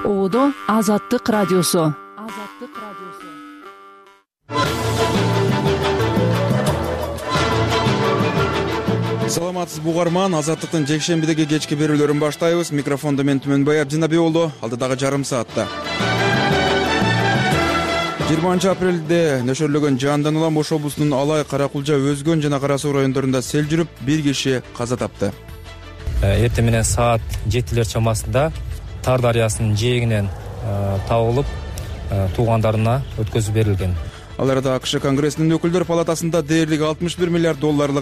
Оодо Азаттык радиосу. Саламатсызбы угарман, Азаттыктын жекшембидеги кечки берүүлөрүн баштайбыз. Микрофондо мен Түмөнбай Абдинабиулу. Алдыдагы жарым саатта 20 апрелде нөшөрлөгөн жаандан улам Ош облусунун Алай, Каракулжа, Өзгөн жана Кара Суу райондорунда сел жүрүп, бир киши каза тапты. Эртең менен саат 7 чамасында Тар дарыясынын жээгинен табылып, туугандарына өткөзүп берилген. Ал арада АКШ Конгрессинин өкүлдөр палатасында дээрлик $61 миллиард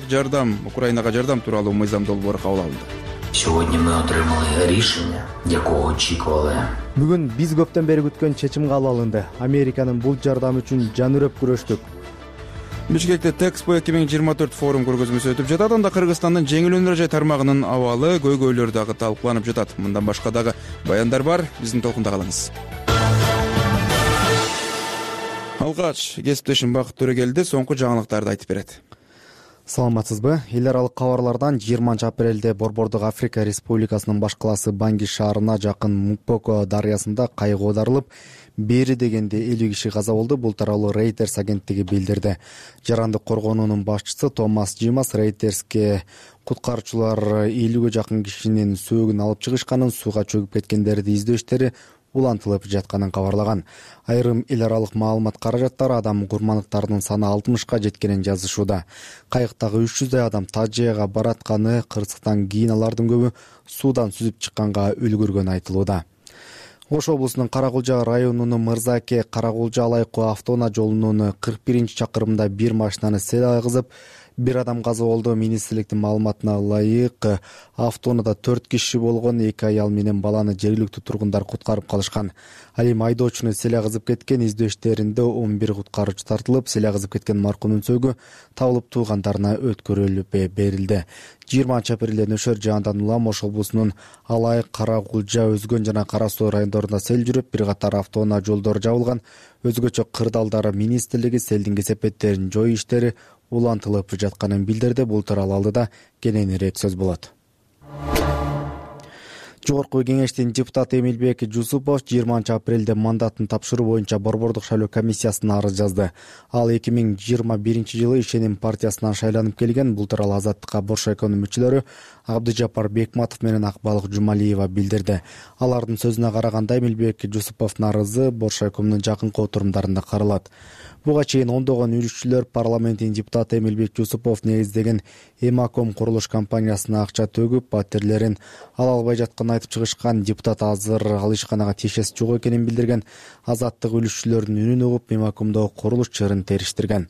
жардам, Украинага жардам тууралуу мыйзам долбоору кабыл алынды. Сьогодні ми отримали рішення, якого очікували. Бүгүн биз көптөн бери күткөн чечим кабыл алынды. Американын бул жардам үчүн жан үрөп күрөштүк. Бишкекте Тэкспо 2024 форум көргөзмөсү өтүп жатат. Анда Кыргызстандын жеңил өнөр жай тармагынын абалы, көйгөйлөрү дагы талкууланып жатат. Мындан башка дагы баяндар бар. Биздин толкунда калыңыз. Алгач кесиптешим Бакыт Төрөгелди соңку жаңылыктарды айтып берет. Саламатсызбы? Эл аралык кабарлардан 20 апрелде Борбордук Африка Республикасынын баш калаасы Банги шаарына жакын Мукпоко дарыясында кайык оодарылып, бери дегенде 50 киши каза болду. Бул тууралуу Reuters агенттиги билдирди. Жарандык коргоонуунун башчысы Томас Джимас Reuters'ке куткаруучулар 50ге жакын кишинин сөөгүн алып чыгышканын, сууга чөгүп кеткендерди издөө иштери улантылып жатканын кабарлаган. Айрым эл аралык маалымат каражаттары адам курмандыктарынын саны 60ка жеткенин жазышууда. Кайыктагы 300 адам Тажияга баратканы, кырсыктан кийин алардын көбү суудан сүзүп чыкканга үлгүргөнү айтылууда. Ош облусунун Каракулжа районунун Мырзаке Каракулжа Алайкы автоунаа жолунун 41-чакырымында бир машинаны сел айгызып, бир адам каза болду. Министрликтин маалыматына ылайык, автоунаада 4 киши болгон, 2 аял менен баланы жергиликтүү тургундар куткарып калышкан. Ал эми айдоочуну сел айгызып кеткен. Издөө иштеринде 11 куткаруучу тартылып, сел айгызып кеткен маркумдун сөөгү табылып туугандарына өткөрүлүп берилди. 20 апрелде нөшөр жаандан улам Ош облусунун Алай, Каракулжа, Өзгөн жана Кара Суу райондорунда сел жүрүп, бир катар автоунаа жолдору жабылган. Өзгөчө кырдаалдар министрлиги селдин кесепеттерин жою иштери улантылып жатканын билдирди. Бул тууралуу алдыда кененирээк сөз болот. Жогорку кеңештин депутаты Эмилбек Жусупов 20 апрелде мандатын тапшыруу боюнча Борбордук шайлоо комиссиясына арыз жазды. Ал 2021 жылы Ишеним партиясынан шайланып келген. Бул тууралуу Азаттыкка Боршайконун мүчөлөрү Абдыжапар Бекматов менен Акбалык Жумалиева билдирди. Алардын сөзүнө караганда Эмилбек Жусуповдун арызы Боршайкомдун жакынкы отурумдарында каралат. Буга чейин ондогон үлүшчүлөр парламенттин депутаты Эмилбек Жусупов негиздеген Эмаком курулуш компаниясына акча төгүп, паттерлерин ала албай жатканын айтып чыгышкан. Депутат азыр ал ишканага тиешеси жок экенин билдирген. Азаттык үлүшчүлөрдүн үнүн угуп, Эмакомдогу курулуш чырын териштирген.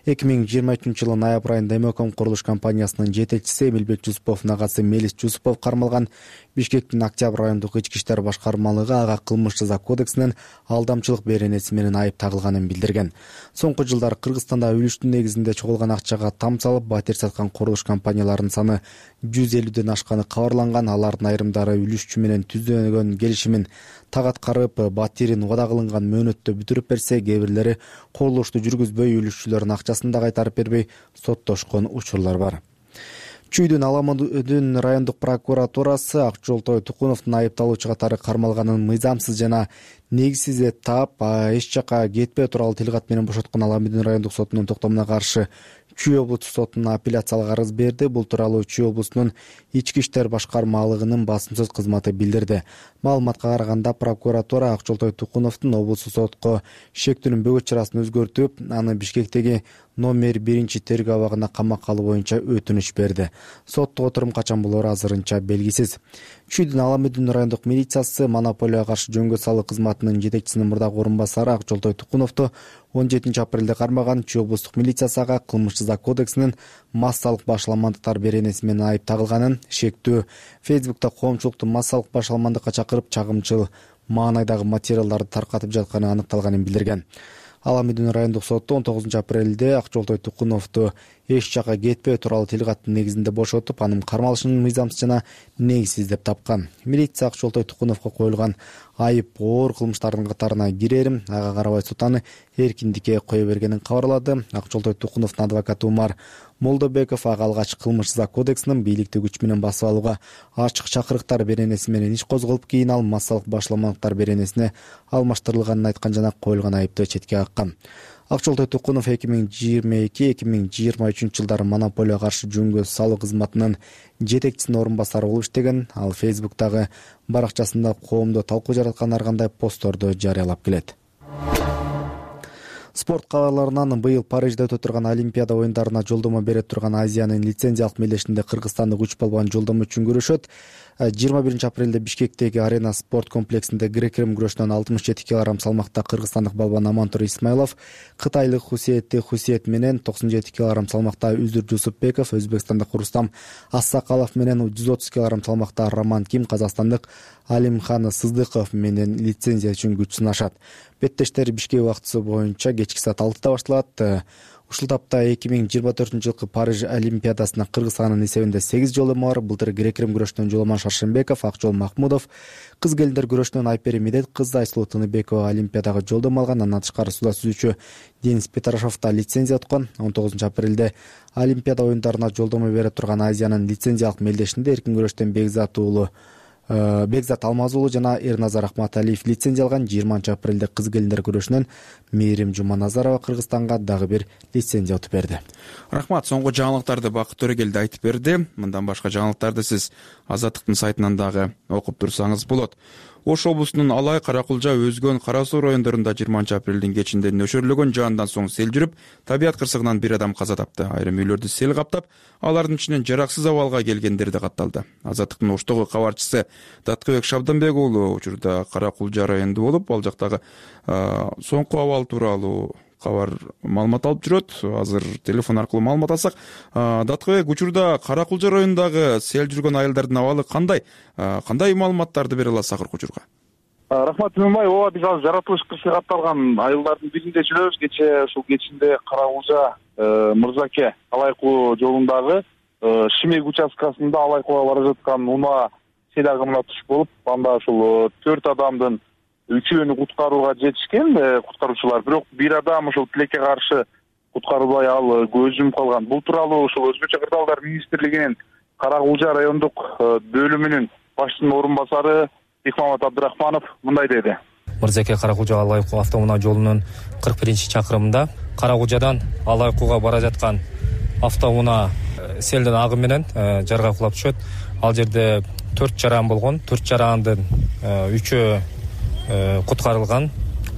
2023 жылы ноябрь айында Эмаком курулуш компаниясынын жетекчиси Эмилбек Жусуповдун агасы Мелис Жусупов кармалган. Бишкектин Октябрь райондук ички иштер башкармалыгы ага кылмыш жаза кодексинен алдамчылык беренеси менен айып тагылганын билдирген. Соңку жылдары Кыргызстанда үлүштүн негизинде чогулган акчага там салып, батир саткан курулуш компанияларынын саны 150ден ашканы кабарланган. Алардын айрымдары үлүшчү менен түзүлгөн келишимин так аткарып, батирин убада кылынган мөөнөттө бүтүрүп берсе, кээ бирлери курулушту жүргүзбөй, үлүшчүлөрдүн акчасын да кайтарып бербей соттошкон учурлар бар. Чүйдүн Аламудун райондук прокуратурасы Акжолтой Тукуновдун айыпталуучу катары кармалганын мыйзамсыз жана негизсиз деп таап, эч жакка кетпөө тууралуу тилкат менен бошоткон Аламудун райондук сотунун токтомуна каршы Чүй облустук сотуна апелляциялык арыз берди. Бул тууралуу Чүй облусунун ички иштер башкармалыгынын басым сөз кызматы билдирди. Маалыматка караганда, прокуратура Акжолтой Тукуновдун облустук сотко шектүүнүн бөгөт чарасын өзгөртүп, аны Бишкектеги номер 1 тергөө абагына камакка алуу боюнча өтүнүч берди. Соттук отурум качан болору азырынча белгисиз. Чүйдүн Аламудун райондук милициясы монополияга каршы жөнгө салуу кызматынын жетекчисинин мурдагы орун басары Акжолтой Тукуновду 17 апрелде кармаган. Чүй облустук милициясы ага кылмыш жаза кодексинин массалык башаламандыктар беренеси менен айып тагылганын, шектүү Фейсбукта коомчулукту массалык башаламандыкка чакырып, чагымчыл маанайдагы материалдарды таркатып жатканы аныкталганын билдирген. Аламудун райондук соту 19 апрелде Акжолтой Тукуновду эч жакка кетпөө тууралуу тилкаттын негизинде бошотуп, анын кармалышын мыйзамсыз жана негизсиз деп тапкан. Милиция Акжолтой Тукуновго коюлган айып оор кылмыштардын катарына кирерим, ага карабай сот аны эркиндикке кое бергенин кабарлады. Акжолтой Тукуновдун адвокаты Умар Молдобеков ага алгач кылмыш кодексинин бийликти күч менен басып алууга ачык чакырыктар беренеси менен иш козголуп, кийин ал массалык башламалыктар беренесине алмаштырылганын айткан жана коюлган айыпты четке каккан. Акчолтой Тукунов 2022-2023 жылдары монополияга каршы жөнгө салуу кызматынын жетекчисинин орун басары болуп иштеген. Ал Facebook'тагы баракчасында коомдо талкуу жараткан ар кандай постторду жарыялап келет. Спорт кабарларынан быйыл Парижде өтө турган Олимпиада оюндарына жолдомо бере турган Азиянын лицензиялык мелдешинде кыргызстандык 3 балбан жолдомо үчүн күрөшөт. 21 апрелде Бишкектеги Арена спорт комплексинде грек-рим күрөшүнөн 67 кг салмакта кыргызстандык балбан Амантур Исмайлов, кытайлык Хусиет менен 97 кг салмакта Үзүр Жусупбеков, өзбекстандык Рустам Ассакалов менен 130 кг салмакта Роман Ким, казакстандык Алимхан Сыздыков менен лицензия үчүн күч сынашат. Беттештер Бишкек убактысы боюнча кечки саат 6-да башталат. Ушул тапта 2024-жылкы Париж Олимпиадасына Кыргызстандын эсебинде 8 жолдомо бар. Былтыр грек-рим күрөшүнөн Жоламан Шаршенбеков, Акжол Махмудов, кыз келиндер күрөшүнөн Айпери Медет кызы Айсулуу Тыныбекова Олимпиадага жолдомо алган. Андан тышкары суда сүзүүчү Денис Петрашов да лицензия уткан. 19 апрелде Олимпиада оюндарына жолдомо бере турган Азиянын лицензиялык мелдешинде эркин күрөштөн Бекзат Алмазуулу жана Эрназар Ахматалиев лицензия алган. 20 апрелде кыз келиндер күрөшүнөн Мээрим Жуманазарова Кыргызстанга дагы бир лицензия утуп берди. Рахмат, соңку жаңылыктарды Бакыт Төрөгелди айтып берди. Мындан башка жаңылыктарды сиз Азаттыктын сайтынан дагы окуп турсаңыз болот. Ош облусунун Алай, Каракулжа, Өзгөн, Кара Суу райондорунда 20 апрелдин кечинде нөшөрлөгөн жаандан соң сел жүрүп, табият кырсыгынан бир адам каза тапты. Айрым үйлөрдү сел каптап, алардын ичинен жараксыз абалга келгендер да катталды. Азаттыктын Оштогу кабарчысы Таткыбек Шабданбек уулу учурда Каракулжа районунда болуп, ал жактагы соңку абал тууралуу кабар маалымат алып жүрөт. Азыр телефон аркылуу маалымат алсак, Таткыбек, учурда Каракулжа районундагы сел жүргөн айылдардын абалы кандай маалыматтарды бере аласыз акыркы учурга? Рахмат Түмөнбай, ооба, биз азыр жаратылыш кырсыгы катталган айылдардын биринде жүрөбүз. Кечээ ушул кечинде Каракулжа Мырзаке Алайкуу жолундагы Шимек участкасында Алайкууга бара жаткан унаа сел агымына туш болуп, анда ушул 4 адамдын 3-өөнү куткарууга жетишкен куткаруучулар, бирок бир адам ушул тилекке каршы куткарылбай ал көз жумуп калган. Бул тууралуу ушул Өзгөчө кырдаалдар министрлигинин Каракулжа райондук бөлүмүнүн башчысынын орун басары Бекмамат Абдрахманов мындай деди. Мырзаке Каракулжа Алайкуу автоунаа жолунун 41-чакырымында Каракулжадан Алайкууга бара жаткан автоунаа селдин агымы менен жарга кулап түшөт. Ал жерде 4 жаран болгон. 4 жарандын 3-өө куткарылган,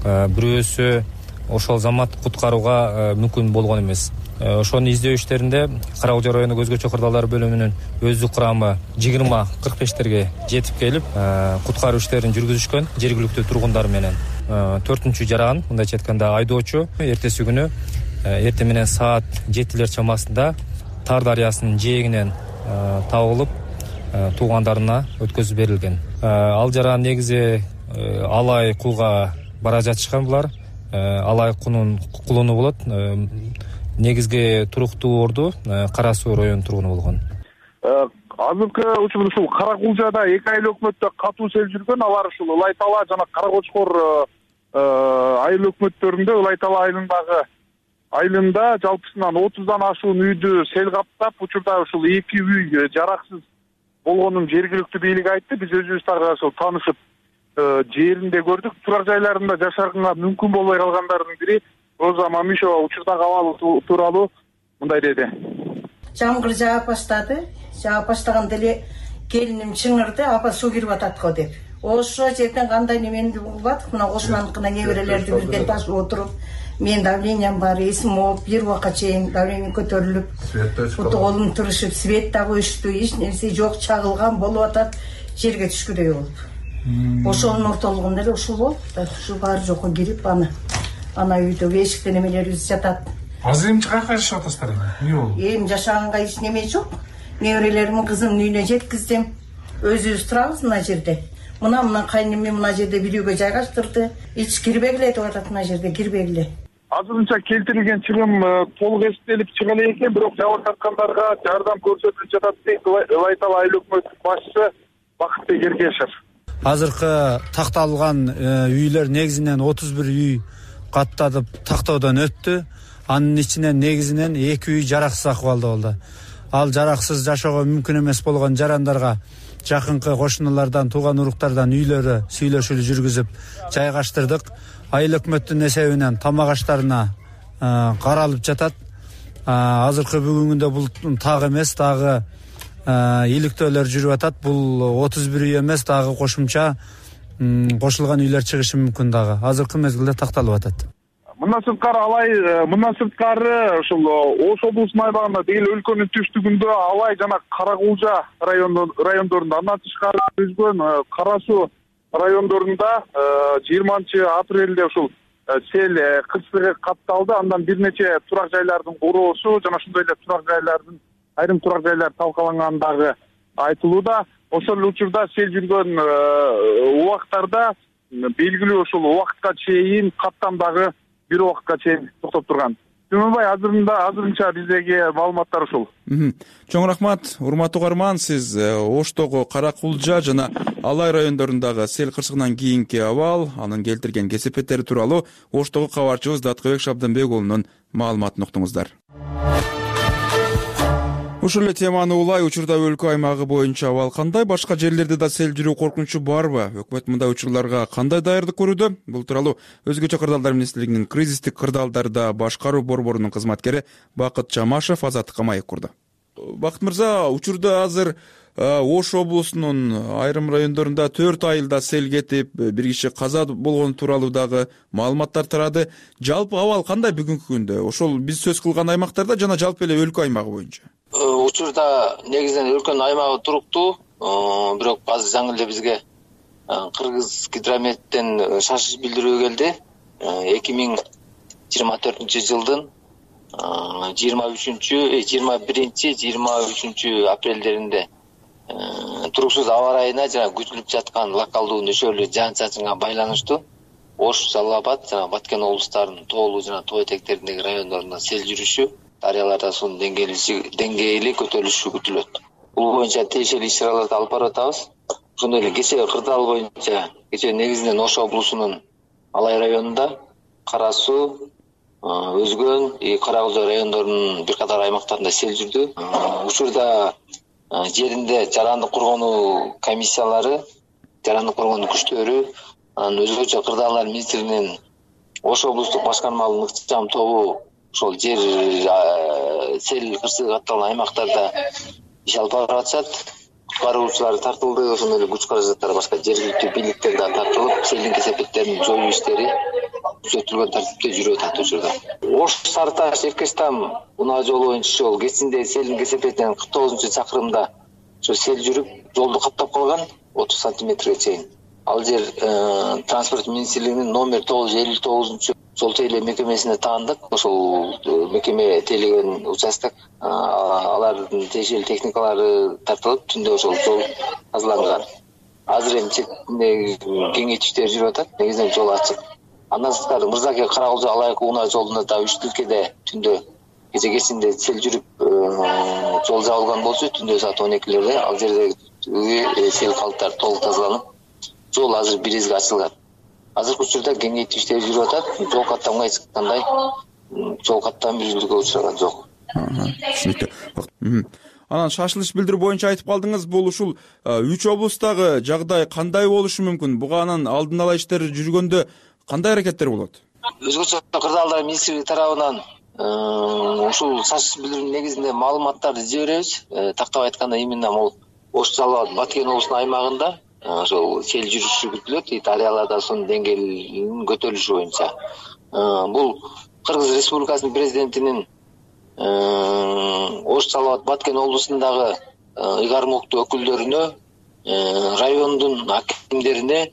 бирөөсү ошол замат куткарууга мүмкүн болгон эмес. Ошонун издөө иштеринде Каракулжа районук Өзгөчө кырдаалдар бөлүмүнүн өздүк курамы 20-45терге жетип келип, куткаруу иштерин жүргүзүшкөн жергиликтүү тургундар менен. 4-чү жаран, мындайча айтканда айдоочу, эртеси күнү эртең менен саат 7 чамасында Тар дарыясынын жээгинен табылып, туугандарына өткөзүп берилген. Ал жаран негизи Алайкууга бара жатышкан булар. Алайкуунун кулуну болот. Негизги туруктуу орду Кара Суу районунун тургуну болгон. Азыркы учурда ушул Каракулжада 2 айыл өкмөттө катуу сел жүргөн. Алар ушул Ылай Тала жана Кара Кочкор айыл өкмөттөрүндө Ылай Тала айылында жалпысынан 30дан ашуун үйдү сел каптап, учурда ушул 2 үй жараксыз болгонун жергиликтүү бийлик айтты. Биз өзүбүз дагы ошол таанышып жеринде көрдүк. Турак жайларында жашарганга мүмкүн болбой калгандардын бири Роза Мамишова учурдагы абалы тууралуу мындай деди. Жамгыр жаап баштады. Жаап баштаганда эле келиним чыңырды, апа суу кирип атат го деп. Ошо жерден кандай немени булбадык, мына кошунаныкына неберелерди бирден ташып отуруп, мен давлениям бар, эсим ооп, бир убакка чейин давлением көтөрүлүп, буту колум турушуп, свет да өчтү, эч нерсе жок, чагылган болуп атат, жерге түшкүдөй болуп. Ошонун ортолугунда эле ушул болуп, ушу баары жокко кирип ана үйдөгү эшикте немелерибиз жатат. Азыр эмне кайка жашап атасыздар эмне болду? Эми жашаганга эч неме жок. Неберелеримдин кызымдын үйүнө жеткиздим. Өзүбүз турабыз мына жерде. Мына кайныммен мына жерде бир үйгө жайгаштырды. Эч кирбегиле деп атат, мына жерде кирбегиле. Азырынча келтирилген чыгым толук эстелип чыга элек экен, бирок жабыр тарткандарга жардам көрсөтүлүп жатат дейт Ылай Тала айыл өкмөтүнүн башчысы Бакытбек Эргешев. Азыркы такталган үйлөр негизинен 31 үй катталып тактоодон өттү. Анын ичинен негизинен 2 үй жараксыз акыбалда болду. Ал жараксыз жашоого мүмкүн эмес болгон жарандарга жакынкы кошуналардан, тууган уруктардан үйлөрү сүйлөшүүлү жүргүзүп жайгаштырдык. Айыл өкмөттүн эсебинен тамак аштарына каралып жатат. Азыркы бүгүнгүндө бул так эмес, дагы иликтөөлөр жүрүп атат. Бул 31 үй эмес, дагы кошумча кошулган үйлөр чыгышы мүмкүн дагы. Азыркы мезгилде такталып атат. Мындан сырткары ушул Ош облусунун аймагында деги эле өлкөнүн түштүгүндө Алай жана Каракулжа райондорунда, андан тышкары Өзгөн, Кара Суу райондорунда 20-апрелде ушул сел кырсыгы катталды. Андан бир нече турак жайлардын куроосу жана ошондой эле айрым турак жайлар талкалангандыгы айтылууда. Ошол эле учурда сел жүргөн убакыттарда белгилүү ушул убакытка чейин каттам дагы бир убакытка чейин токтоп турган. Түмөнбай, азырынча биздеги маалыматтар ушул. Чоң рахмат, урматтуу угарман. Сиз Оштогу Каракулжа жана Алай райондорундагы сел кырсыгынан кийинки абал, анын келтирген кесепеттери тууралуу Оштогу кабарчыбыз Даткыбек Шабданбек уулунун маалыматын уктуңуздар. Ушул эле теманы улай учурда өлкө аймагы боюнча абал кандай? Башка жерлерде да сел жүрүү коркунучу барбы? Өкмөт мындай учурларга кандай даярдык көрүүдө? Бул тууралуу Өзгөчө кырдаалдар министрлигинин кризистик кырдаалдарда башкаруу борборунун кызматкери Бакыт Жамашев Азаттыкка маек курду. Бакыт мырза, учурда азыр Ош облусунун айрым райондорунда 4 айылда сел кетип, бир киши каза болгону тууралуу дагы маалыматтар тарады. Жалпы абал кандай бүгүнкү күндө? Ошол биз сөз кылган аймактарда жана жалпы эле өлкө аймагы боюнча? Учурда негизинен өлкөнүн аймагы туруктуу, бирок азыр жаңы эле бизге Кыргыз гидрометтен шашыш билдирүү келди. 2024 жылдын 21-23 апрелдеринде туруксуз аба ырайына жана күтүлүп жаткан локалдуу нөшөөлүү жаан-чачынга байланыштуу Ош, Жалал Абад жана Баткен облустарынын тоолуу жана тоо этектериндеги райондорунда сел жүрүшү, дарыяларда суунун деңгээли көтөрүлүшү күтүлөт. Бул боюнча тиешелүү иш-чараларды алып барып атабыз. Ошондой эле кечээ кырдаал боюнча негизинен Ош облусунун Алай районунда, Кара Суу, Өзгөн, Каракулжа райондорунун бир катар аймактарында сел жүрдү. Учурда жеринде жарандык коргонуу комиссиялары, жарандык коргонуу күчтөрү, анан Өзгөчө кырдаалдар министрлигинин Ош облустук башкармалыгынын ыкчам тобу ошол жер сел кырсыгы катталган аймактарда иш алып барып атышат. Куткаруучулар тартылды, ошондой эле күч каражаттар башка жергиликтүү бийликтер да тартылып, селдин кесепеттерин жоюу иштери күчөтүлгөн тартипте жүрүп атат учурда. Ош Сарыташ Эркечтам унаа жолу боюнча ошол кечинде селдин кесепетинен 49-чакырымда ошо сел жүрүп, жолду каптап калган 30 сантиметрге чейин. Ал жер транспорт министрлигинин номер 959 жол тейлөө мекемесине таандык. Ошол мекеме тейлеген участок, алардын тиешелүү техникалары тартылып, түндө ошол жол тазаланган. Азыр эми чектинде кеңейтиштер жүрүп атат, негизинен жол ачык. Андан сырткары Мырзаке Каракулжа Алай унаа жолунда да 3 тилкеде түндө кечинде сел жүрүп жол жабылган болчу, түндө саат 12-лерде ал жердеги сел калыптары толук тазаланып, жол азыр биризге ачылган. Азыркы учурда кеңейтүү иштери жүрүп атат. Жол каттамга эч кандай жол каттам бүзүлүүгө учураган жок. Түшүнүктүү. Анан шашылыш билдирүү боюнча айтып калдыңыз, бул ушул 3 облустагы жагдай кандай болушу мүмкүн? Буга анан алдын ала иштер жүргөндө кандай аракеттер болот? Өзгөчө кырдаалдар министрлиги тарабынан ушул шашыш билдирүүнүн негизинде маалыматтарды издей беребиз. Тактап айтканда, именно могу Ош, Жалал Абад, Баткен облусунун аймагында ошол сел жүрүшү күтүлөт, дарыяларда суунун деңгээлинин көтөрүлүшү боюнча. Бул Кыргыз Республикасынын президентинин Ош, Жалал Абад, Баткен облусундагы ыйгармуктуу өкүлдөрүнө, райондун акимдерине,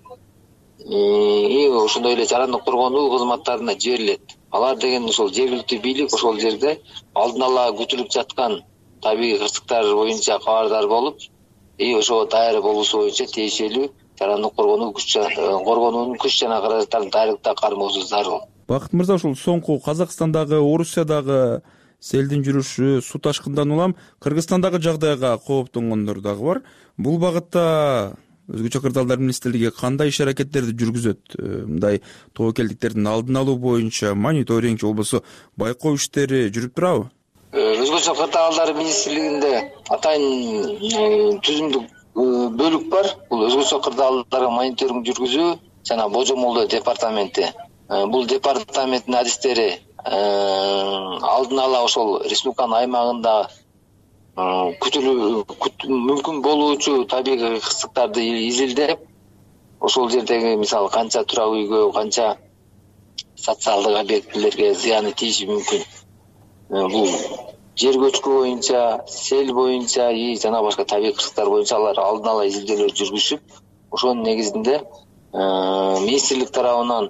ошондой эле жарандык коргонуу кызматтарына жиберилет. Алар деген ошол жергиликтүү бийлик ошол жерде алдын ала күтүлүп жаткан табигый кырсыктар боюнча кабардар болуп, ошого даяр болуусу боюнча тиешелүү жарандык коргонуунун күч жана каражаттарын даярлыкта кармоосу зарыл. Бакыт мырза, ушул соңку Казакстандагы, Орусиядагы селдин жүрүшү, суу ташкындан улам Кыргызстандагы жагдайга кооптонгондор дагы бар. Бул багытта өзгөчө кырдаалдар министрлиги кандай иш аракеттерди жүргүзөт? Мындай тобокелдиктердин алдын алуу боюнча мониторинг же болбосо байкоо иштери жүрүп турабы? Өзгөчө кырдаалдар министрлигинде атайын түзүмдүк бөлүк бар. Бул өзгөчө кырдаалдарга мониторинг жүргүзүү жана божомолдоо департаменти. Бул департаменттин адистери алдын ала ошол республиканын аймагында мүмкүн болуучу табигый кырсыктарды изилдеп, ошол жердеги мисалы канча турак үйгө, канча социалдык объектилерге зыяны тийиши мүмкүн. Бул жер көчкү боюнча, сел боюнча жана башка табигый кырсыктар боюнча алар алдын ала изилдөөлөр жүргүзүп, ошонун негизинде министрлик тарабынан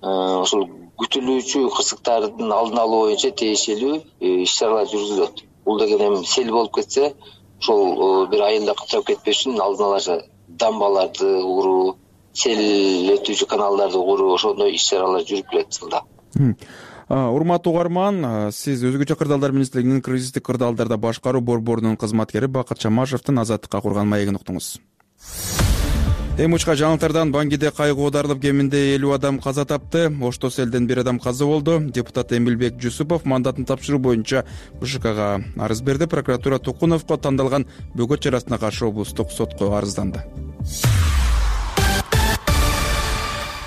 ошол күтүлүүчү кырсыктардын алдын алуу боюнча тиешелүү иш-чаралар жүргүзүлөт. Бул деген эми сел болуп кетсе, ошол бир айылда каттап кетпеш үчүн алдын ала дамбаларды куруу, сел өтүүчү каналдарды куруу, ошондой иш-чаралар жүрүп келет жылда. Урматтуу угарман, сиз өзгөчө кырдаалдар министрлигинин кризистик кырдаалдарда башкаруу борборунун кызматкери Бакыт Чамашевдин Азаттыкка курган маегин уктуңуз. Эми учка жаңылыктардан Бангиде кайгы оодарылып кеминде 50 адам каза тапты. Ошто селден 1 адам каза болду. Депутат Эмилбек Жусупов мандатын тапшыруу боюнча БШКга арыз берди. Прокуратура Тукуновго тандалган бөгөт чарасына каршы облустук сотко арызданды.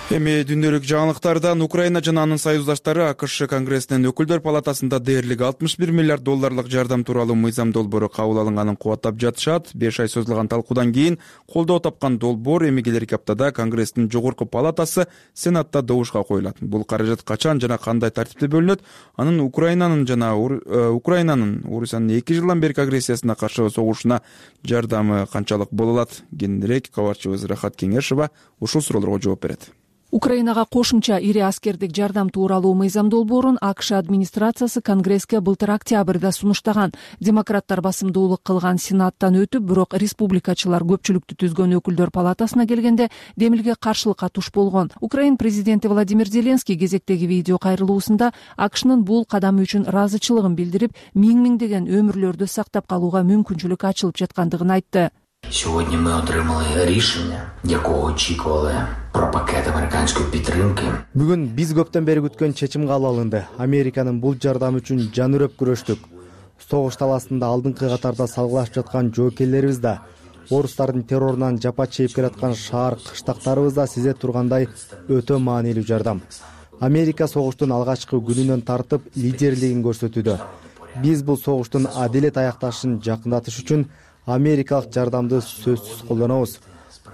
Эми дүндөлүк жаңылыктардан Украина жана анын союздаштары АКШ Конгрессинин өкүлдөр палатасында дээрлик $61 миллиард жардам тууралуу мыйзам долбоору кабыл алынганын кубаттап жатышат. 5 ай созулган талкуудан кийин колдоо тапкан долбоор эми келерки аптада Конгресстин жогорку палатасы Сенатта добушка коюлат. Бул каражат качан жана кандай тартипте бөлүнөт? Анын Украинанын 2 жылдан берки агрессиясына каршы согушуна жардамы канчалык боло алат? Кененирээк кабарчыбыз Рахат Кеңешова ушул суроолорго жооп берет. Украинага кошумча ири аскердик жардам тууралуу мыйзам долбоорун АКШ администрациясы Конгресске былтыр октябрда сунуштаган. Демократтар басымдуулук кылган Сенаттан өтүп, бирок республикачылар көпчүлүктү түзгөн өкүлдөр палатасына келгенде демилге каршылыкка туш болгон. Украин президенти Владимир Зеленский кезектеги видео кайрылуусунда АКШнын бул кадамы үчүн ыраазычылыгын билдирип, миңдеген өмүрлөрдү сактап калууга мүмкүнчүлүк ачылып жаткандыгын айтты. Сьогодні ми отримали рішення, якого очікували про пакет американської підтримки. Бүгүн биз көптөн бери күткөн чечим кабыл алынды. Американын бул жардамы үчүн жан үрөп күрөштүк. Согуш таласында алдыңкы катарда салгылашып жаткан жоокерлерибиз да, орустардын террорунан жапа чегип келаткан шаар кыштактарыбыз да сизе тургандай өтө маанилүү жардам. Америка согуштун алгачкы күнүнөн тартып лидерлигин көрсөтүүдө. Биз бул согуштун адилет аякташын жакындатыш үчүн америкалык жардамды сөзсүз колдонобуз.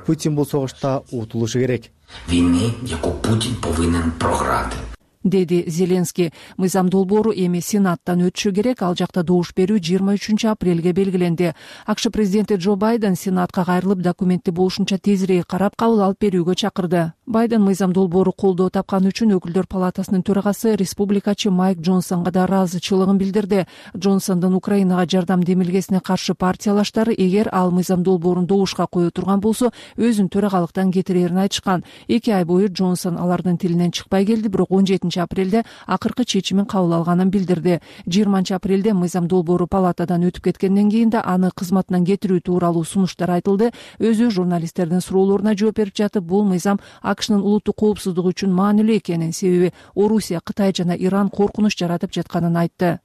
Путин бул согушта утулушу керек. Війни, яку Путін повинен програти. Деди Зеленский. Мыйзам долбоору эми Сенаттан өтүшү керек. Ал жакта добуш берүү 23 апрелге белгиленди. АКШ президенти Джо Байден Сенатка кайрылып документти болушунча тезирээк карап кабыл алып берүүгө чакырды. Байден мыйзам долбоору колдоо тапкан үчүн өкүлдөр палатасынын төрагасы республикачы Майк Джонсонго да ыраазычылыгын билдирди. Джонсондун Украинага жардам демилгесине каршы партиялаштары эгер ал мыйзам долбоорун добушка кое турган болсо, өзүн төрагалыктан кетирерин айтышкан. 2 ай бою Джонсон алардын тилинен чыкпай келди, бирок 17 апрелде акыркы чечимин кабыл алганын билдирди. 20 апрелде мыйзам долбоору палатадан өтүп кеткенден кийин да аны кызматынан кетирүү тууралуу сунуштар айтылды. Өзү журналисттердин суроолоруна жооп берип жатып, бул мыйзам АКШнын улуттук коопсуздугу үчүн маанилүү экенин, себеби Орусия, Кытай жана Иран коркунуч жаратып жатканын айтты.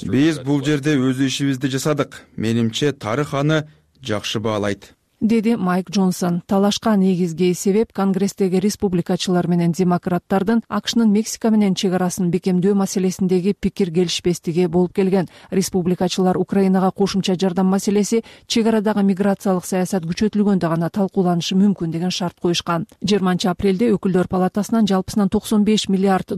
Биз бул жерде өз ишибизди жасадык. Менимче тарых аны жакшы баалайт, деди Майк Джонсон. Талашка негизги себеп Конгресстеги республикачылар менен демократтардын АКШнын Мексика менен чек арасын бекемдөө маселесиндеги пикир келишпестиги болуп келген. Республикачылар Украинага кошумча жардам маселеси чек арадагы миграциялык саясат күчөтүлгөндө гана талкууланышы мүмкүн деген шарт коюшкан. 20 апрелде өкүлдөр палатасынан жалпысынан $95 миллиард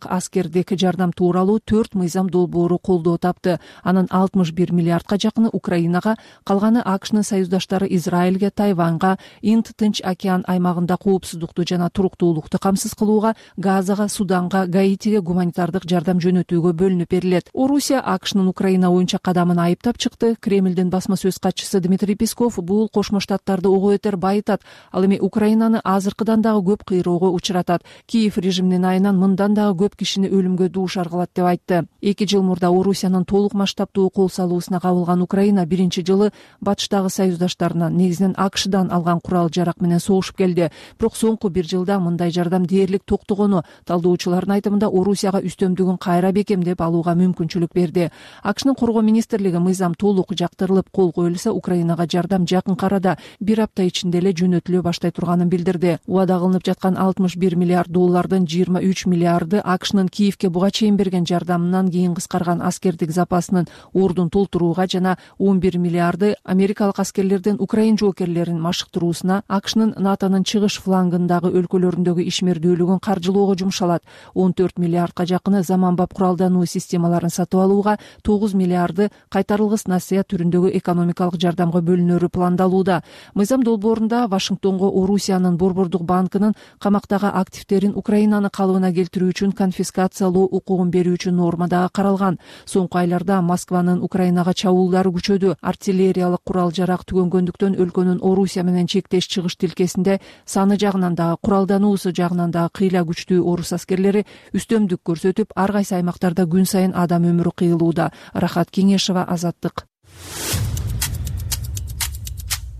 аскердик жардам тууралуу 4 мыйзам долбоору колдоо тапты. Анын 61 миллиардка жакыны Украинага, калганы АКШнын союздаштары Израиль Израилге, Тайваньга, Инд-Тынч океан аймагында коопсуздукту жана туруктуулукту камсыз кылууга, Газага, Суданга, Гаитиге гуманитардык жардам жөнөтүүгө бөлүнүп берилет. Орусия АКШнын Украина боюнча кадамын айыптап чыкты. Кремлдин басма сөз катчысы Дмитрий Песков бул Кошмо Штаттарды ого бетер байытат, ал эми Украинаны азыркыдан дагы көп кыйроого учуратат. Киев режиминин айынан мындан дагы көп кишини өлүмгө дуушар кылат деп айтты. 2 жыл мурда Орусиянын толук масштабтуу кол салуусуна кабылган Украина биринчи жылы батыштагы союздаштарынан, негизинен АКШдан алган курал-жарак менен согушуп келди. Бирок соңку 1 жылда мындай жардам дээрлик токтогону талдоочулардын айтымында Орусияга үстөмдүгүн кайра бекемдеп алууга мүмкүнчүлүк берди. АКШнын коргоо министрлиги мыйзам толук жактырылып кол коюлса, Украинага жардам жакынкы арада 1 апта ичинде эле жөнөтүлө баштай турганын билдирди. Убада кылынып жаткан $61 миллиард 23 миллиарды АКШнын Киевке буга чейин берген жардамынан кийин кыскарган аскердик запасынын ордун толтурууга жана 11 миллиарды америкалык аскерлердин украин жоокерлерин машыктыруусуна, АКШнын НАТОнун чыгыш флангындагы өлкөлөрүндөгү ишмердүүлүгүн каржылоого жумшалат. 14 миллиардка жакыны заманбап куралдануу системаларын сатып алууга, 9 миллиарды кайтарылгыс насыя түрүндөгү экономикалык жардамга бөлүнөрү пландалууда. Мыйзам долбоорунда Вашингтонго Орусиянын Борбордук банкынын камактагы активдерин Украинаны калыбына келтирүү үчүн конфискациялоо укугун берүү үчүн норма дагы каралган. Соңку айларда Москванын Украинага чабуулдары күчөдү. Артиллериялык курал-жарак түгөнгөндүктөн өлкөнүн Орусия менен чектеш чыгыш тилкесинде саны жагынан дагы, куралдануусу жагынан дагы кыйла күчтүү орус аскерлери үстөмдүк көрсөтүп, ар кайсы аймактарда күн сайын адам өмүрү кыйылууда. Рахат Кеңешева, Азаттык.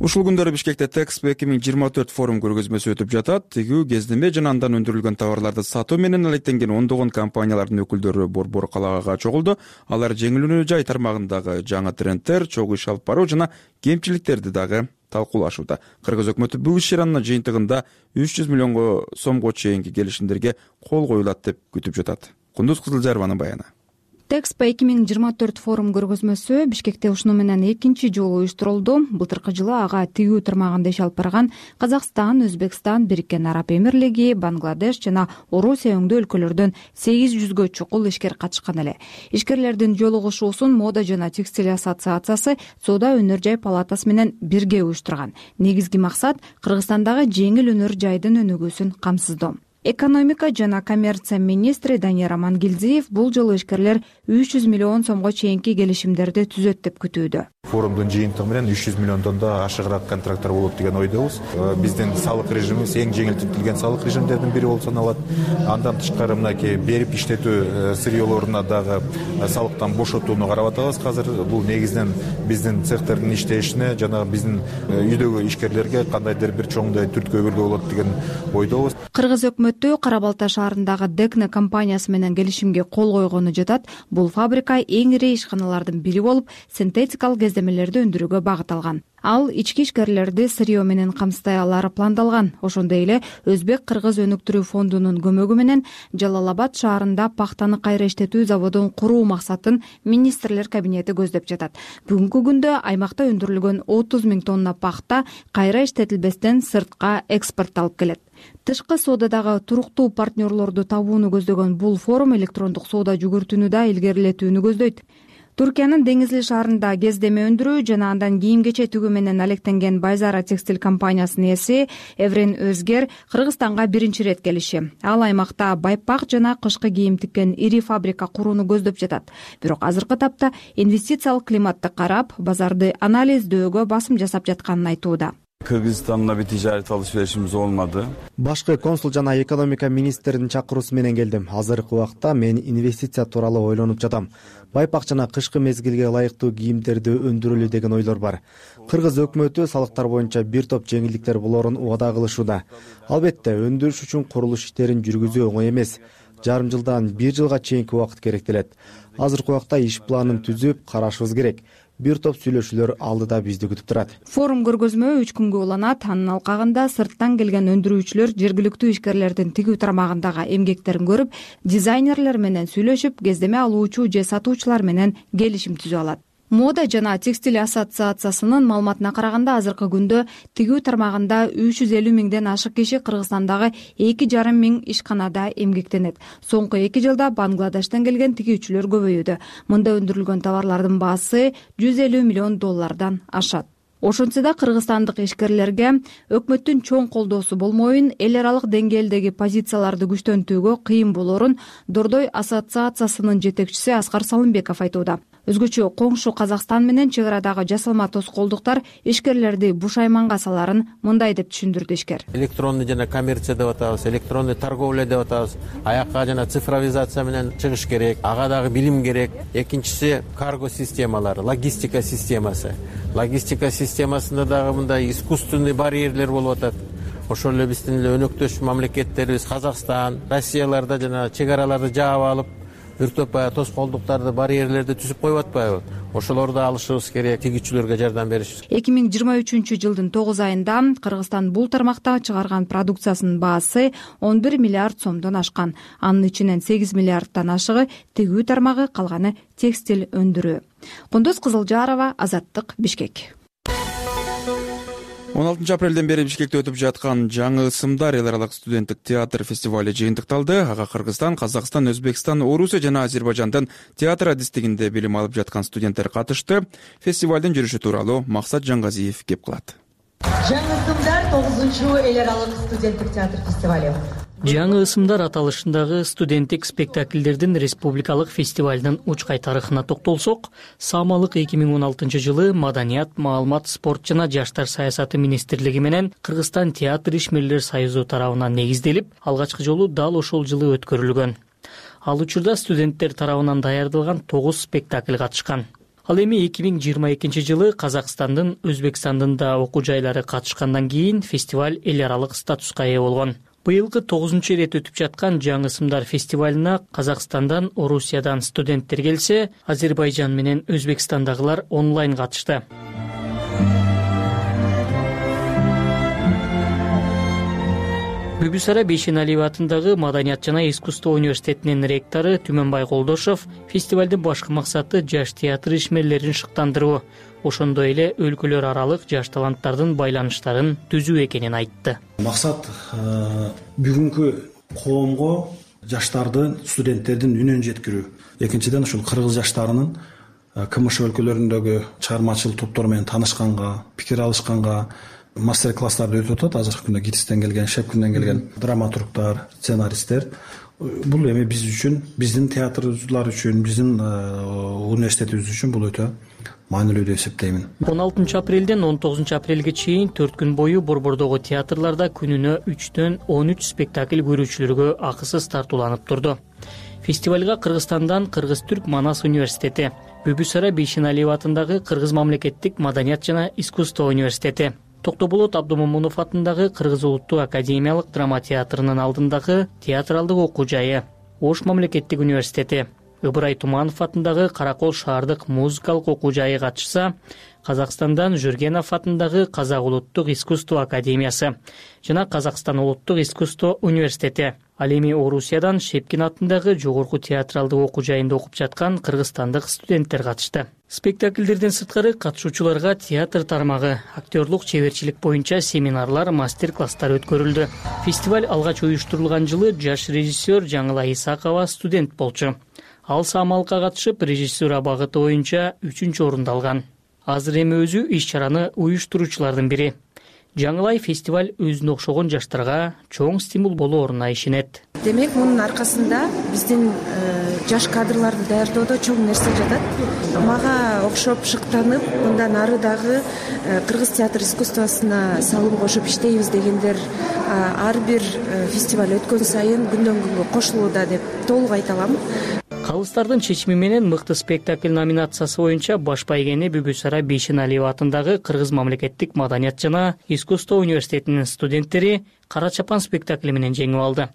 Ушул күндөрү Бишкекте Тэкспо 2024 форум көргөзмөсү өтүп жатат. Тигүү, кездеме жана андан өндүрүлгөн товарларды сатуу менен алектенген ондогон компаниялардын өкүлдөрү Борбор калаага чогулду. Алар жеңил өнөр жай тармагындагы жаңы трендтер, чогуу иш алып баруу жана кемчиликтерди дагы талкуулашууда. Кыргыз өкмөтү бул иш-чаранын жыйынтыгында 300 миллионго сомго чейинки келишимдерге кол коюлат деп күтүп жатат. Кундуз Кызылжарованын баяны. Тэкспо 2024 форум көргөзмөсү Бишкекте ушуну менен экинчи жолу уюштурулду. Былтыркы жылы ага тигүү тармагында иш алып барган Казакстан, Өзбекстан, Бириккен Араб Эмирлиги, Бангладеш жана Орусия өңдүү өлкөлөрдөн 800гө чукул ишкер катышкан эле. Ишкерлердин жолугушуусун Мода жана текстиль ассоциациясы Соода өнөр жай палатасы менен бирге уюштурган. Негизги максат Кыргызстандагы жеңил өнөр жайдын өнүгүүсүн камсыздоо. Экономика жана коммерция министри Данияр Амангелдиев бул жолу ишкерлер 300 миллион сомго чейинки келишимдерди түзөт деп күтүүдө. Форумдун жыйынтыгы менен 300 миллиондон да ашыгыраак контракттар болот деген ойдобуз. Биздин салык режимибиз эң жеңилдетилген салык режимдердин бири болуп саналат. Андан тышкары мынакей берип иштетүү сырьёлоруна дагы салыктан бошотууну карап атабыз. Азыр бул негизинен биздин цехтердин иштешине жана биздин үйдөгү ишкерлерге кандайдыр бир чоңдой түрткү өгүлгө болот деген ойдобуз. Кыргыз өкмөтү Кара Балта шаарындагы Декне компаниясы менен келишимге кол койгону жатат. Бул фабрика эң ири ишканалардын бири болуп, синтетикалык кездемелерди өндүрүүгө багытталган. Ал ички ишкерлерди сырьё менен камсыздай алары пландалган. Ошондой эле Өзбек-Кыргыз өнүктүрүү фондунун көмөгү менен Жалал-Абад шаарында пахтаны кайра иштетүү заводун куруу максатын министрлер кабинети көздөп жатат. Бүгүнкү күндө аймакта өндүрүлгөн 30 000 тонна пахта кайра иштетилбестен сыртка экспортталып келет. Тышкы соодадагы туруктуу партнерлорду табууну көздөгөн бул форум электрондук соода жүгүртүүнү да илгерилетүүнү көздөйт. Туркиянын Деңизли шаарында кездеме өндүрүү жана андан кийим-кече тигүү менен алектенген Байзара текстиль компаниясынын ээси Эврен Өзгер Кыргызстанга биринчи ирет келиши. Ал аймакта байпак жана кышкы кийим тиккен ири фабрика курууну көздөп жатат. Бирок азыркы тапта инвестициялык климатты карап, базарды анализдөөгө басым жасап жатканын айтууда. Кыргызстанга bir ticaret alışverişimiz olmadı. Башкы консул жана экономика министринин чакыруусу менен келдим. Азыркы убакта мен инвестиция тууралуу ойлонуп жатам. Байпак жана кышкы мезгилге ылайыктуу кийимдерди өндүрөлү деген ойлор бар. Кыргыз өкмөтү салыктар боюнча бир топ жеңилдиктер болорун убада кылышууда. Албетте, өндүрүш үчүн курулуш иштерин жүргүзүү оңой эмес. Жарым жылдан 1 жылга чейинки убакыт керектелет. Азыркы убакта иш планын түзүп карашыбыз керек. Бир топ сүйлөшүүлөр алдыда бизди күтүп турат. Форум көргөзмө 3 күнгө уланат. Анын алкагында сырттан келген өндүрүүчүлөр жергиликтүү ишкерлердин тигүү тармагындагы эмгектерин көрүп, дизайнерлер менен сүйлөшүп, кездеме алуучу же сатуучулар менен келишим түзүп алат. Мода жана текстиль ассоциациясынын маалыматына караганда, азыркы күндө тигүү тармагында 350 000ден ашык киши Кыргызстандагы 2,5 мың ишканада эмгектенет. Соңку 2 жылда Бангладештен келген тигүүчүлөр көбөйүүдө. Мында өндүрүлгөн товарлардын баасы $150 миллион ашат. Ошентсе да кыргызстандык ишкерлерге өкмөттүн чоң колдоосу болмоюн, эл аралык деңгээлдеги позицияларды күчтөнтүүгө кыйын болорун Дордой ассоциациясынын жетекчиси Аскар Салымбеков айтууда. Өзгөчө коңшу Казакстан менен чек арадагы жасалма тоскоолдуктар ишкерлерди бушайманга саларын мындай деп түшүндүрдү ишкер. Электронный жана коммерция деп атабыз, электронный торговля деп атабыз. Аякка жана цифровизация менен чыгыш керек, ага дагы билим керек. Экинчиси карго системалары, логистика системасы. Логистика системасында дагы мындай искусственный барьерлер болуп атат. Ошол эле биздин эле өнөктөш мамлекеттерибиз Казакстан, Россияларда жана чек араларды жаап алып, үртөп тоскоолдуктарды, барьерлерди түзүп коюп атпайбы? Ошолорду алышыбыз керек, тигүүчүлөргө жардам беришибиз. 2023 жылдын 9 айында Кыргызстан бул тармакта чыгарган продукциясынын баасы 11 миллиард сомдон ашкан. Анын ичинен 8 миллиардтан ашыгы тигүү тармагы, калганы текстиль өндүрүү. Кундуз Кызылжарова, Азаттык, Бишкек. 16 апрелден бери Бишкекте өтүп жаткан жаңы ысымдар эл аралык студенттик театр фестивали жыйынтыкталды. Ага Кыргызстан, Казакстан, Өзбекстан, Орусия жана Азербайжандын театр адистигинде билим алып жаткан студенттер катышты. Фестивалдын жүрүшү тууралуу Максат Жаңгазиев кеп кылат. Жаңы ысымдар 9-чу эл аралык студенттик театр фестивали. Жаңы ысымдар аталышындагы студенттик спектакльдердин республикалык фестивалдын учкай тарыхына токтолсок, Самалык 2016 жылы Маданият, маалымат, спорт жана жаштар саясаты министрлиги менен Кыргызстан театр ишмерлер союзу тарабынан негизделип, алгачкы жолу дал ошол жылы өткөрүлгөн. Ал учурда студенттер тарабынан даярдалган 9 спектакль катышкан. Ал эми 2022 жылы Казакстандын, Өзбекстандын да окуу жайлары катышкандан кийин фестиваль эл аралык статуска ээ болгон. Быйылкы 9-чу ирет өтүп жаткан жаңы ысымдар фестивалына Казакстандан, Орусиядан студенттер келсе, Азербайжан менен Өзбекстандагылар онлайн катышты. Бүбүсара Бейшеналиева атындагы Маданият жана искусство университетинин ректору Түмөнбай Колдошов фестивалдын башкы максаты жаш театр ишмерлерин шыктандыруу, ошондой эле өлкөлөр аралык жаш таланттардын байланыштарын түзүү экенин айтты. Максат бүгүнкү коомго жаштардын, студенттердин үнүн жеткирүү. Экинчиден ушул кыргыз жаштарынын КМШ өлкөлөрүндөгү чыгармачыл топтор менен таанышканга, пикир алышканга, мастер-класстарды өтүп атат. Азыркы күндө ГИТИСтен келген, Шепкинден келген драматургдар, сценаристтер. Бул эми биз үчүн, биздин театрчылар үчүн, биздин университетибиз үчүн бул өтө маанилүү деп эсептеймин. 16 апрелден 19 апрелге чейин 4 күн бою Борбордогу театрларда күнүнө 3-төн 13 спектакль көрүүчүлөргө акысыз тартууланып турду. Фестивалга Кыргызстандан Кыргыз-Түрк Манас университети, Бүбүсара Бейшеналиева атындагы Кыргыз мамлекеттик маданият жана искусство университети, Токтоболот Абдумомунов атындагы Кыргыз улуттук академиялык драма театрынын алдындагы театралдык окуу жайы, Ош мамлекеттик университети, Ыбырай Туманов атындагы Каракол шаардык музыкалык окуу жайы катышса, Казакстандан Жүргенов атындагы Казак улуттук искусство академиясы жана Казакстан улуттук искусство университети, ал эми Орусиядан Шепкин атындагы жогорку театралдык окуу жайында окуп жаткан кыргызстандык студенттер катышты. Спектакльдерден сырткары катышуучуларга театр тармагы, актерлук чеберчилик боюнча семинарлар, мастер-класстар өткөрүлдү. Фестиваль алгач уюштурулган жылы жаш режиссер Жаңыла Исакова студент болчу. Ал Самалыкка катышып, режиссура багыты боюнча 3-чү орунду алган. Азыр эми өзү иш-чараны уюштуруучулардын бири. Жаңылай фестиваль өзүнө окшогон жаштарга чоң стимул болооруна ишенет. Демек, мунун аркасында биздин жаш кадрларды даярдоодо чоң нерсе жатат. Мага окшоп шыктанып, мындан ары дагы кыргыз театр искусствосуна салым кошуп иштейбиз дегендер ар бир фестиваль өткөн сайын күндөн күнгө кошулууда деп толук айта алам. Калыстардын чечими менен мыкты спектакль номинациясы боюнча баш байгени Бүбүсара Бейшеналиева атындагы Кыргыз мамлекеттик маданият жана искусство университетинин студенттери Кара чапан спектакли менен жеңип алды.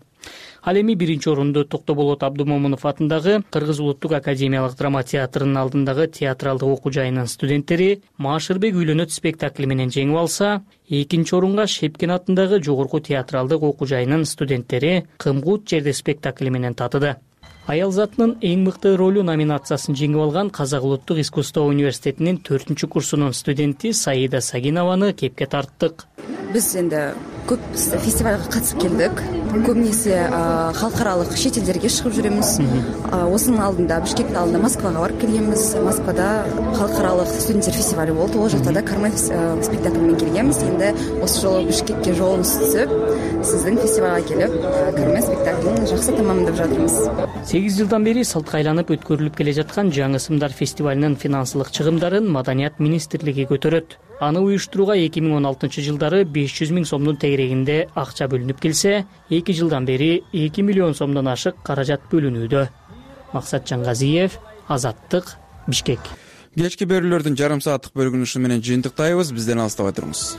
Ал эми 1-чи орунду Токтоболот Абдумомунов атындагы Кыргыз улуттук академиялык драма театрынын алдындагы театралдык окуу жайынын студенттери Маашырбек үйлөнөт спектакли менен жеңип алса, 2-чи орунга Шепкин атындагы жогорку театралдык окуу жайынын студенттери Кымгут жерде спектакли менен татыды. Аял затынын эң мыкты ролу номинациясын жеңип алган Казак улуттук искусство университетинин 4-курсунун студенти Саида Сагинованы кепке тарттык. Биз энди көп фестивалга катышып келдик. Көбүн эсе халкаралык чет элдерге чыгып жүрөбүз. Осунун алдында Бишкектин алдында Москвага барып келгенбиз. Москвада халкаралык студенттер фестивали болду. Ол жакта да Кармен спектакль менен келгенбиз. Энди осы жолу Бишкекке жолубуз түзүп, сиздин фестивалга келип, Кармен спектаклын жакшы тамамдап жатырбыз. 8 жылдан бери салтка айланып өткөрүлүп келе жаткан Жаңы сымдар фестивалынын финансылык чыгымдарын Маданият министрлиги көтөрөт. Аны уюштурууга 2016 жылдары 500 000 сомдун тегерегинде акча бөлүнүп келсе, 2 жылдан бери 2 миллион сомдон ашык каражат бөлүнүүдө. Максат Жаңгазиев, Азаттык, Бишкек. Кечки берүүлөрдүн жарым сааттык бөлүгүн ушу менен жыйынтыктайбыз. Бизден алыстабай туруңуз.